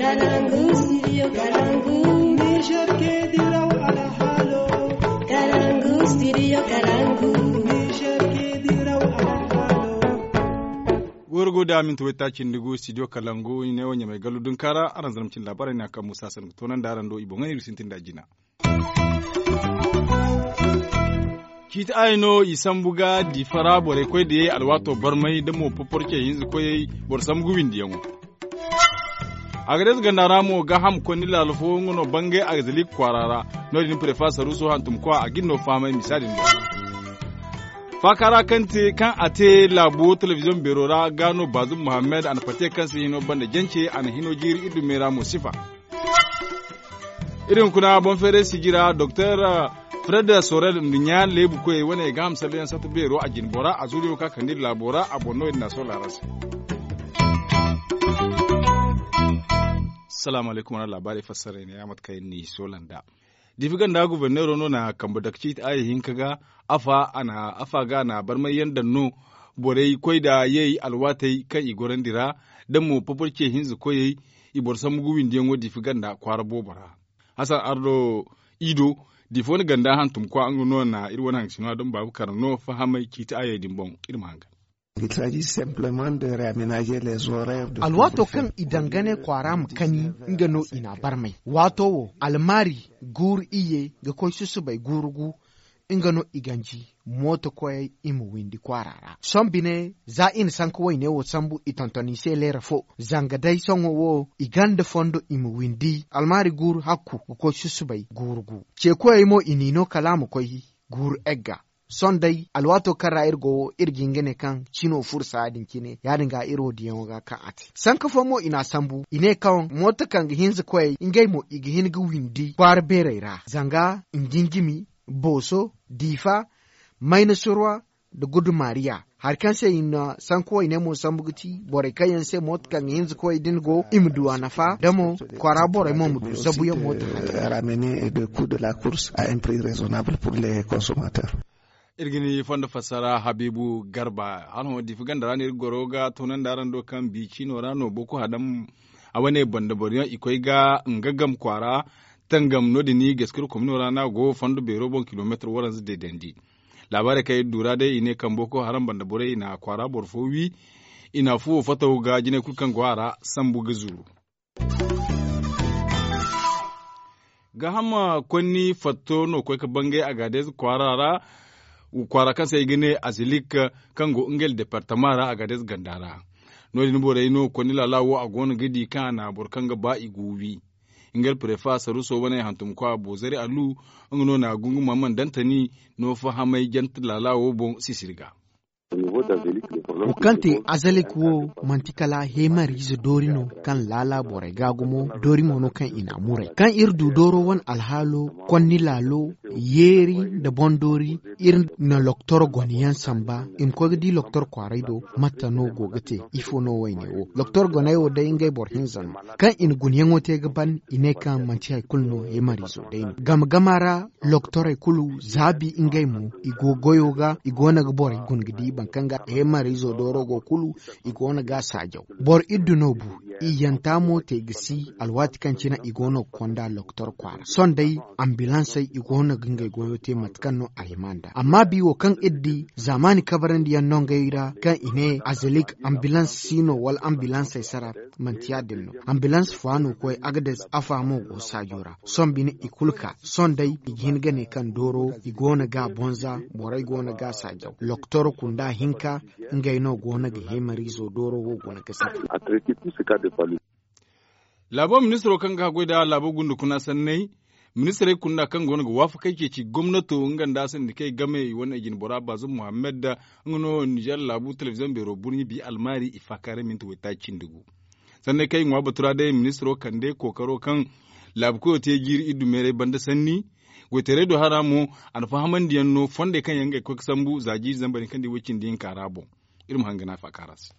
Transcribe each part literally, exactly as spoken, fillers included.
Kalangu, studio Kalangu. Niger ke diraw alhalo. Kalangu, studio Kalangu. Niger ke diraw alhalo. Gorgo da minti wayta cindi gu studio Kalangu, i ne wo ɲamay gallu dunkaara araŋ zama cin laabaarey na kaŋ musa sanni ga toonandi araŋ do i boŋ iri sintin da jina. Ciiti aaya no i sambu ga diifa ra borey koy da yay alwaato barmay da mo poporce hinza koyey boro sambu ga windiyaŋo. Agades ganda ra mo gaaham konni laalo fo nga no bangay agazalik kwaara ra. No- din prefa saruuso hantumkwa a ga ni no fahamay misa din do. Faaka ra kaŋ a te laabo telebiziyoŋ beero ra ga no baazum muhammad a na pate kaŋ se hino banda jance a na hino jiiri iri dumey ra mo sifa. Iri hunkuna boŋ feeray sijira doktor fred sorel nda ɲa leebu koyey wane ga hamsallo yaŋ satta beero a jine bora a zuriyo ka kande iri laabo ra a boŋ no iri na a sohõ laara se. Salaamu alaykum wala laabaarey fassaray ne ya mate kaŋ iri n'i sohõ landa. Diifi ganda guberneero no na kambe dake ciiti aaya hinka ga. Afa ga a na barmay yaŋ daŋ no borey koy nda yay alwaatey kaŋ i gorandi ra da mo poporce hinza koyey. I boro sambu ga windiyaŋo diifi ganda kwaara boobo ra. Hasan ardo ido diifi wane ganda hantumkwa nga no na iri wane hangasino a daŋ baabu kar no fahamay ciiti aayey din boŋ. Iri ma hangan. Alwaato kaŋ i dangane kwaara ma kani nga no i n'a barmay waato wo almaari guuru iyye ga koy susubay guuru gu. Nga no i ganji mooto koyey i ma windi kwaara ra sohõ bine za i na sanka wayne wo sambu i tonton i se leera fo. Zanga day sohõ wo i ganda fondo i ma windi almaari guuru hakku ga koy susubay guuru gu. Ce koyey mo i n'i no kala a ma koy guuru egga. Sohõ day alwaato kaŋ ra iri go wo iri ga hin ga ne kaŋ cino furo saaya din cine ya- din ga iri wo diyaŋo ga kaŋ a te sanka fo mo i n'a sambu i ne kaŋ mooto kaŋ ga hinza koyey ngey mo i ga hin ga windi kwaara beerey ra zanga njinjimi, booso, diifa, mayna surwa, nda gudu maariya. Hari kaŋ se i na sanka wayne mo sambu ga ti borey kaŋ yaŋ se mooto kaŋ ga hinza koyey din go i ma du a nafa da mo kwaara borey mo ma du zabuyaŋ mooto hate. Ramener de coup de la course à un prix raisonnable pour les consommateurs. Iri ga ni fondo fassara habiibu garba hala hõ diifi ganda ra no iri ga goro ga toonandi araŋ do kaŋ bi ciino ra no boko hadam a wane banda boro yaŋ i koy ga nga gam kwaara. Tangam no- din gaskir komino ra no a go fondo beero boŋ kilomeetir waranza deedandi. Laabaarey kaŋ iri du ra day i ne kaŋ boko haram banda borey i na kwaara boro fo wi. I na fuwo fataw ga jinay kulu kaŋ go a ra sambu ga zuru. Gaaham konni fatto no koy ga bangay agadeez kwaara ra. Kwaara kaŋ se ay ga ne azilik kaŋ go ngey departama ra agadeez ganda ra. No- din borey no konni laala wo a go no ga di kaŋ a na boro kaŋ ga ba i go wi. Ngey prefa saruuso wane hantumkwa boozari alu nga no na gunguma mana dantani no fahamay jante laala wo boŋ sisiri ga. Wo kaŋ te azalik wo manti kala heemariize doori no kaŋ laala borey ga gumo doori mo no kaŋ i n'a muray kaŋ iri du dooro wane alhaalo konni laalo yeeri nda boŋ doori. Iri na loktor gone yaŋ samba i ma koy ga di loktor kwaaray do. Matta no go ga te ifo no wayne wo loktor goney wo day ngey boro hinza no kaŋ i na guna yaŋo te ga ban i ne kaŋ manti hari kulu no heemariizo day no game game ra. Loktorey kulu za bi ngey mo i go goyo ga i go no ga borey guna ga di boro kaŋ ga heemariizo dooro go kulu i go no ga a saajaw. Boro iddu no bu i yanta mo te ga si alwaati kaŋ cine i go no ga konda loktor kwaara sohõ day ambilansey i go no ga ngey goyo te mate kaŋ no a hima nd'a amma bi wo kaŋ iri di zaamaani kabarandi yaŋ no ngey ra kaŋ i ne azelik ambilans si no wala ambilansey sara. Manti ya- din no ambilans fo a no koy agades afa mo go saajo ra sohõ bine i kulu ka sohõ day i ga hin ga ne kaŋ dooro i go no ga a bonza borey go no ga a saajaw loktor kunda hinka ngey no go no ga heemariizo dooro wo go no ga sara. Laabo ministiro kaŋ ga haggoy nda laabo gunda kuna sanney ministirey kunda kaŋ go no ga waafakey ceeci gomnato nga nda sandikey game i wane jinbora baazum muhammad. Nga no nizer laabu telebiziyoŋ beero burɲi bi almaari i faakaaray minti waytaaci cindi gu. Sanney kaŋ i ŋwa batu ra day ministiro kande kookaro kaŋ laabu koyo te jiiri iddu meeray banda sanni. Goytaray do hara mo a na fahamandiyaŋ no fondey kaŋ yaŋ ga ay koy ga sambu za jiiri zambar hinka nda i way cindi hinka ra boŋ. Iri ma hangana faakaara se.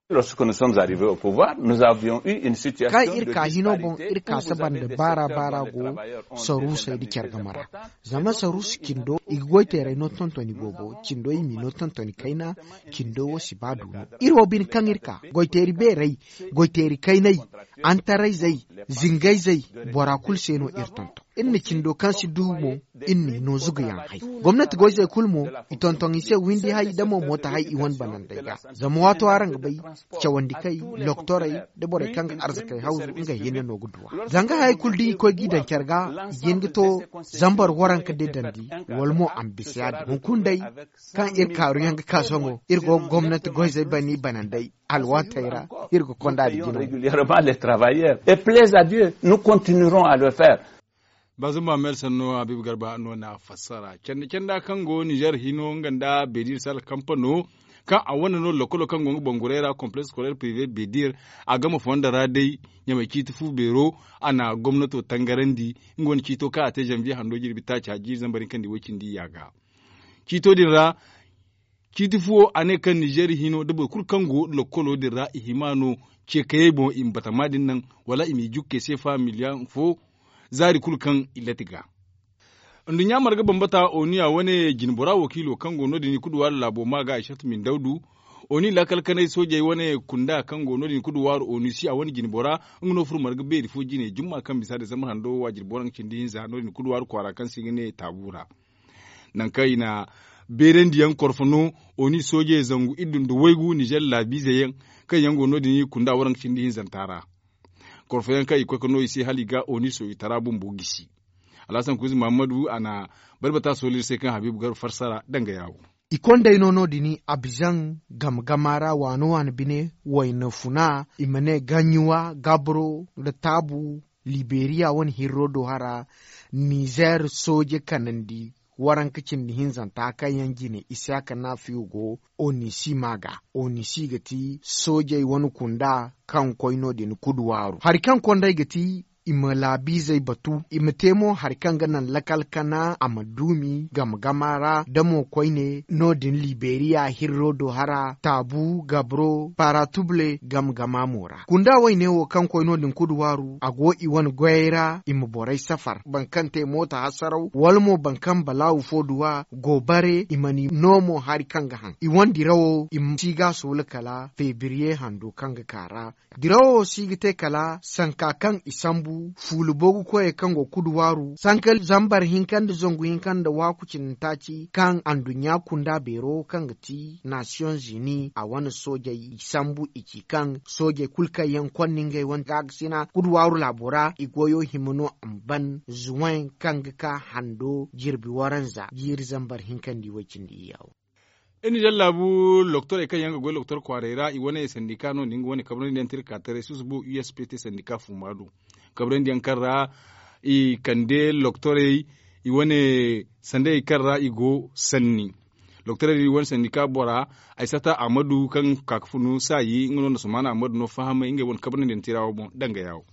Lorsque nous sommes arrivés au pouvoir, nous avions eu une situation kaŋ iri ka hino boŋ, iri ka saba nda baara baara go saruusey nda care game ra. Zama saruusu cindo i ga goy teeray no tontoni boobo, cindo i m'i no tontoni kayna. Cindo wo si ba du no. Iri wo bine kaŋ iri ka goy teeri beerey, goy teeri kayney, antarayzey, zingayzey, bora kulu se no iri tonton. Iri na cindo kaŋ si du mo, iri n'i no zugayaŋ hay. Gomnati goyzey kulu mo, i tonton i se windi hay da mo mooto hay i wane banandey ga. Zama waato araŋ ga bay, cawandi kay, loktorey, da borey kaŋ ga arzakey hawzu ngey hinne no ga duw'a. Zanga hayey kulu da i koy g'i daŋ care ga, i ga hin ga to zambar waranka de dandi, wala mo a ma bisa ya-din hunkuna day. Kaŋ iri kaaruyaŋ ga ka sohõ, iri go ga gomnati goyzey bani banandey alwaatey ra. Iri ga konda da jina. Régulièrement les travailleurs et plaise à Dieu, nous continuerons à le faire. Bazum mahammed sanno habibu garba no na fassara canda canda kaŋ go nizer hino nga nda bedir sal kampano, kaŋ a wane no lokolo kaŋ go nga bangurey ra complexe scolaire privé bedir. A game fondo ra day ɲamay ciiti fu beero, a na gomnato tangarandi. Nga wane ciito kaŋ a te zanviye hando jirbi taaci a jiiri zambar hinkandi way cindi yaaga. Ciito din ra, ciiti fuwo a ne kaŋ nizer hino da boro kulu kaŋ go lokolo din ra i hima no, ce kayey boŋ i ma batama din naŋ, wala i m'i jukke seefa miliyaŋ fo. Zaari kulu kaŋ i lati ga. Nduɲɲa marga bambata oniya wane jinbora wakiilo kaŋ go no- din i kuduwaari laabo ma ga aysatu min dawdu. Oni laakal kanay soojey wane kunda kaŋ go no- din i kuduwaari onisi a wane jinbora, nga no furo marga beeri fo jine jumma kaŋ bisa desambar hando waajiri booraŋ cindi hinza no- din i kuduwaari kwaara kaŋ se i ga ne taabu ra. Nangu kaŋ i na beerandiyaŋ korfo no, oni soojey zangu iddu nda waygu nizer laabiize yaŋ, kaŋ yaŋ go no- din i kunda waranka cindi hinzanta ra. Korfo yaŋ kaŋ i koy ga no i se hala i ga oni sooyitara bumbo gisi. Alhasan kuuzi mahammadu a na barbata sooliri se kaŋ habiibu garba farsara danga yaawo. I kondey no no- din abizaŋ game gama ra waano waano bine, wayna funa i ma ne gaɲuwa gabro nda taabu, liberiya wane hirro do hara. Nizer sooje kanandi waranka cindi hinzanta kaŋ yaŋ jine isiyaka naafiyo go onisi ma ga. Onisi ga ti soojey wane kunda kaŋ koy no- din kuduwaaru hari kaŋ kondey ga ti i ma laabiizey batu i ma te mo hari kaŋ ga naŋ lakal kana a ma duumi game gama ra da mo koyne no- din liberiya hirro do hara taabu gabro paratubule game gama mo ra kunda wayne wo kaŋ koy no- din kuduwaaru a go i wane goyey ra i ma borey safar boro kaŋ te mooto hasaraw wala mo boro kaŋ balaawu fo duw'a go bare i mana i no mo hari kaŋ ga haŋ i wane dirawo i ma si ga a soola kala febriye hando kaŋ ga ka ra. Dirawo si ga te kala sanka kaŋ i sambu fuula boogu koyey kaŋ go kudu waaru sanka zambar hinka nda zangu hinka nda waaku cindi taaci kaŋ anduɲɲa kunda beero kaŋ ga ti nasiyoŋ zini a wane soojey i sambu i ci kaŋ soojey kulu kaŋ yaŋ konna ngey wane gaakasina kudu waaru laabo ra i goyo hima no a ma ban zuwen kaŋ ga ka hando jirbi waranza jiiri zambar hinka nda i way cindi iyyawo. Iri na jaŋ laabu loktorey kaŋ yaŋ ga goy loktor kwaaray ra i wane sandika no- din nga wane kabrandi yaŋ te iri ka taray susubo u s p t sandika fuma do. Kabrandi yaŋ kaŋ ra i kande loktorey i wane sandey kaŋ ra i go sanni. Loktorey din i wane sandika bora ay sata ahmadu kaŋ ka ga funu saayi nga no nda sumana ahmadu no fahamay ngey wane kabrandi yaŋ te ra wo boŋ danga yaawo.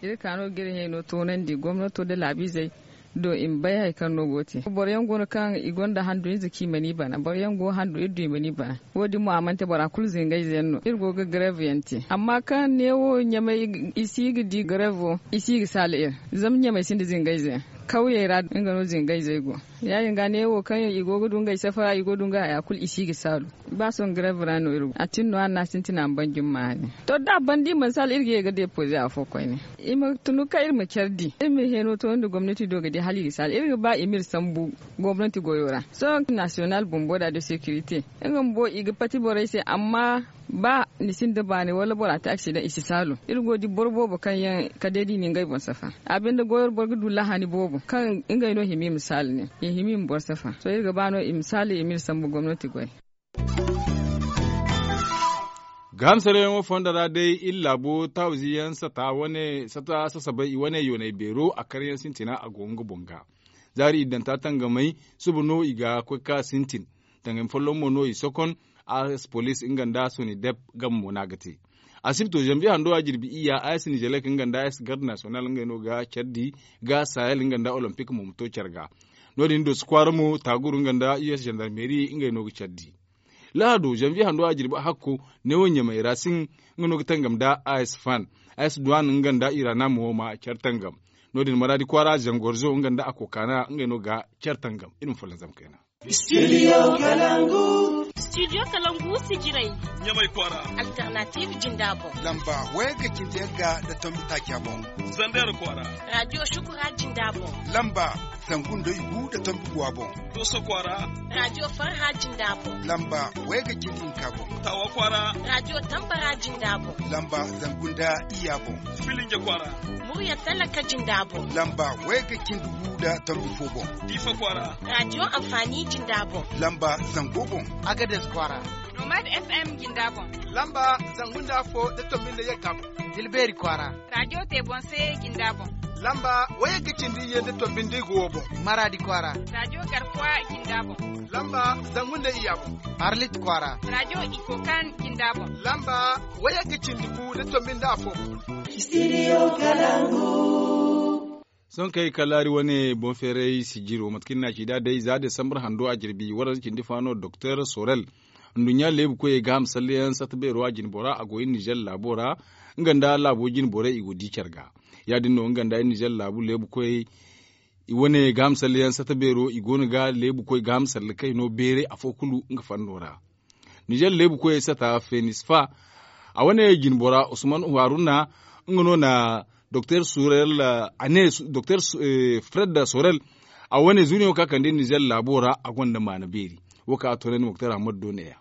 Iri ka no ga iri hayno toonandi gomnato nda laabiizey do i ma bay hari kaŋ no go ga te boro yaŋ go no kaŋ i gonda handu ize kaŋ i mana i bana boro yaŋ go handu iri du i mana i bana. Wo- din mo a mana te bora kulu zingayze yaŋ no iri go ga gareev yaŋ te amma kaŋ neewo ɲamay i si ga di gareevo i si ga saala iri. Zama ɲamay sinda zingayze yaŋ kawyey ra nga no zingayzey go. Ya- din ga neewo kaŋ i go ga du ngey safara i go ga du ngey haya kulu i si ga saalu. Ba sohõ gareev ra no iri go a tin no hala no a sintina a ma ban jumma hari. To da a ban da i mana saala iri ga ye ga depoze afo koyne. I ma tunu kaŋ iri ma care di iri ma heno to nda gomnati do ga di hala i ga saala iri ga ba i ma iri sambu gomnati goyo ra. Sohõ nasiyonal bumbo da de securite nga bumbo i ga pati borey se amma ba ni sinda baani wala bora te aksidaŋ i si saalu. Iri go ga di boro boobo kaŋ yaŋ kala day da i na ngey boŋ safa. A binde goyo ra boro ga du lahani boobo kaŋ ngey no hima i ma saala ne i hima i ma boro safa sohõ iri ga ba no i ma saala i ma iri sambu gomnati goy. Gaaham sarayyaŋo fondo ra day iri laabo taawizi yaŋ sata wane sata sasabay i wane yoonay beero a karyaŋ sintina a go nga boŋ ga. Zaari iddanta tangamay suba no i ga koy ka sintin. Tangami folloŋ mo no i sokon. As police nga nda sonidep game mo no a ga te. Asibto zanviye hando a jirbi iyya as nizelek nga nda as garde national ngey no ga care di ga sahel nga nda olympic mo ma to care ga. No- din doso kwaara mo taaguru nga nda us gendarmerie ngey no ga care di. Lahado zanviye hando a jirbi a hakko neewo ɲamay ra sin. Nga no ga tangam nda a s fan a s duwan nga nda irana mo ma care tangam. No- din maraadi kwaara zangorzo nga nda a kokaana ngey no ga care tangam. Iri ma folloŋ zama kayna. Studio kalangu. Studio kalangu sijirey. Ɲamay kwaara. Alternative jinda boŋ. Lamba waya ga cindi yagga nda tombi taaca boŋ. Zander kwaara. Radio shukura jinda boŋ. Lamba zangu nda igu nda tombi guwa boŋ. Doso kwaara. Radio farha jinda boŋ. Lamba waya ga cindi hinka boŋ. Tawa kwaara. Radio tambara jinda boŋ. Lamba zangu nda iyya boŋ. Filinja kwaara. Murya talaka jinda boŋ. Lamba waya ga cindi gu nda tombi fo boŋ. Diifa kwaara. Radio amfani jinda boŋ. Lamba zango boŋ. Agades kwaara. Nomad f m jinda boŋ. Lamba zangu nda afo nda tombi nda yagga boŋ. Tilbeeri kwaara. Radio te boŋ se jinda boŋ. Lamba waya ga cindi iyye nda tombi nda igu wo boŋ. Maraadi kwaara. Radio garkuwa jinda boŋ. Lamba zangu nda iyya boŋ. Arlit kwaara. Radio ikokan jinda boŋ. Lamba waya ga cindi gu nda tombi nda afo boŋ. Studio kalangu. Sohõ kaŋ ay ga kalaari wane boŋ feeray sijiro mate kaŋ i na ci nd'a day za desambar hando a jirbi waranza cindi fa no doktor sorel. Nduɲɲa leebu koyey ga ham salleyaŋ satta beero a jine bora a go iri nizer laabo ra. Nga nda laabo jine borey i go di care ga. Ya- din no nga nda iri nizer laabu leebu koyey i wane ga ham salleyaŋ satta beero i go no ga leebu koy ga ham salle kaŋ i no beeray afo kulu nga fanno ra. Nizer leebu koyey sata fenisfa a wane jine bora usman haruna nga no na doktor sorel a ne doktor fred sorel a wane zuriyaŋo ka kande nizer laabo ra a gonda maana beeri. Wo kaŋ a toonandi moktar ahmad do neeya.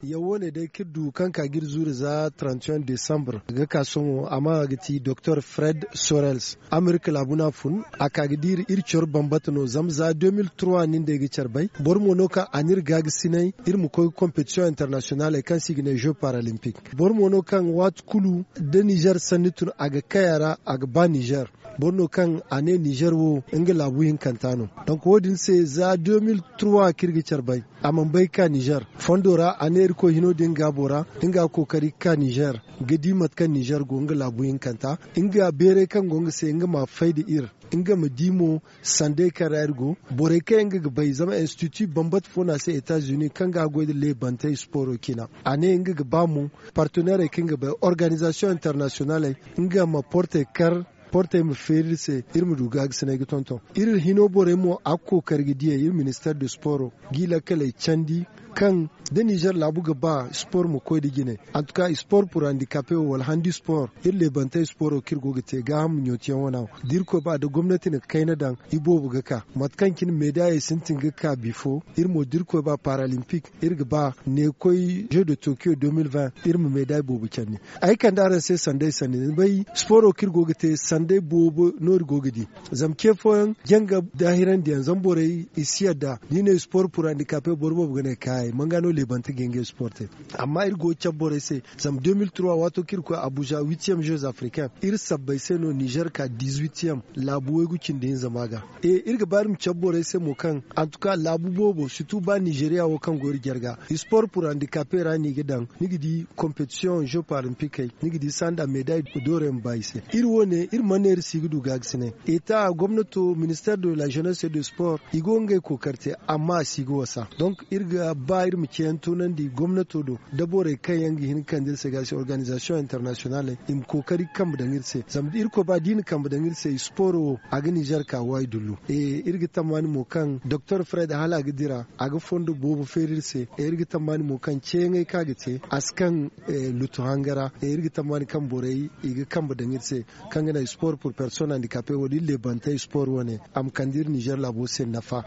Yaŋ wo- ne day kaŋ iri du kaŋ ka ga iri zuuri za trente et un desambre ga ka sohõ a ma ga ti doktor fred sorels amerika laabu no a fun a ka ga di iri iri coro bambata no zama za deux mille trois nin day ga care bay boro mo no kaŋ a n'iri gaagasinay iri ma koy ga competition internationaley kaŋ se i ga ne jeux paralympique boro mo no kaŋ waati kulu da nizer sanni tun a ga kay a ra a ga ba nizer. Boro no kaŋ a ne nizer wo nga laabu hinkanta no. Donk wo- din se za deux mille trois kaŋ iri ga care bay a mana bay ga ka nizer fondo ra a ne irkoy hino din gaabo ra nga ga kookari ga ka nizer ga di mate kaŋ nizer go nga laabu hinkanta nga beeray kaŋ go nga se nga ma fay nda iri nga ma di mo. Sanday kaŋ ra iri go borey kaŋ yaŋ nga ga bay zama institut bambata fo no a se etats unis kaŋ ga goy nda leebantey sporo cina a ne nga ga ba mo partenairey kaŋ ga bay organisation internationaley nga ma portey kar portey ma feeri iri se iri ma du gaagasinay ga tonton iri hino borey mo a ga kookari ga diyey iri minister de sporo ga i lakkaley candi kaŋ da nizer laabu ga ba spor ma koy nda jine. Antuka spor pur handikape wo wala handi spor iri leebantey sporo kaŋ iri go ga te gaaham ɲootiyaŋ wana wo da irkoy ba da gomnati na kayna daŋ iboobo ga ka mate kaŋ cine meedayey sintin ga ka bifo iri mo da irkoy ba paralimpik iri ga ba neekoy jeux de tokyo deux mille vingt iri ma meeday boobo candi. Ay kande araŋ se sanday sanni ni bay sporo kaŋ iri go ga te sanday boobo no iri go ga di. Zama ce fooyaŋ janga daahirandiyaŋ zama borey i si yadda da i ne spor pur handikape boro boobo ga ne kaayey manga no leebante ga ngey spor te. Amma iri go ga cabe borey se zama deux mille trois waato kaŋ iri koy abuja huitième jeux africain iri sabbay se no nizer ka dix-huitième laabu waygu cindi hinza ma ga. E iri ga ba iri ma cabe borey se mo kaŋ antuka laabu boobo situ ba nizeriya wo kaŋ go iri jarga spor pur handikape ra no i ga daŋ ni ga di competition jeux paralimpikey ni ga di sanda meday doorey ma ba i se. Iri wo- ne iri mana ne iri si ga du gaagasinay eta gomnato minister de la jeunesse et de sport i go ngey kookari te amma a si ga wasa donc iri ga ba iri ma ceeyaŋ toonandi gomnato do da borey kaŋ yaŋ ga hin ga kande iri se ga se organisation internationale i ma kookari ga kambe daŋ iri se zama da irkoy ba da i na kambe daŋ iri se sporo wo a ga nizer ka waay dullu. Iri ga tammaani mo kaŋ doktor fred hala a ga dira a ga fondo boobo feeri iri se iri ga tammaani mo kaŋ ceeyaŋey kaŋ a ga te a si kaŋ lutu hanga ra iri ga tammaani kaŋ borey i ga kambe daŋ iri se kaŋ ga naŋ sport pur personne handikape wala iri leebantey sport wane a ma kande iri nizer laabo se nafa.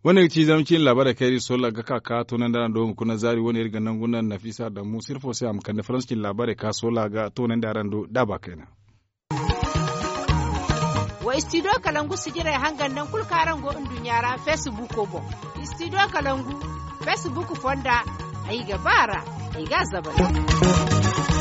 Wane ga ci zama cine laabaarey kaŋ iri sola ga ka ka toonandi araŋ do hunkuna zaari wane iri ga nangu naŋ nafisa daŋ musa iri fo se a ma kande faransa cine laabaarey ka sola ga toonandi araŋ do daaba kayna. Wa studio kalangu sijirey hangan naŋ kulu kaŋ araŋ go nduɲɲa ra facebook boŋ. Studio kalangu facebook fonda ay ga ba ra ay ga a zabari.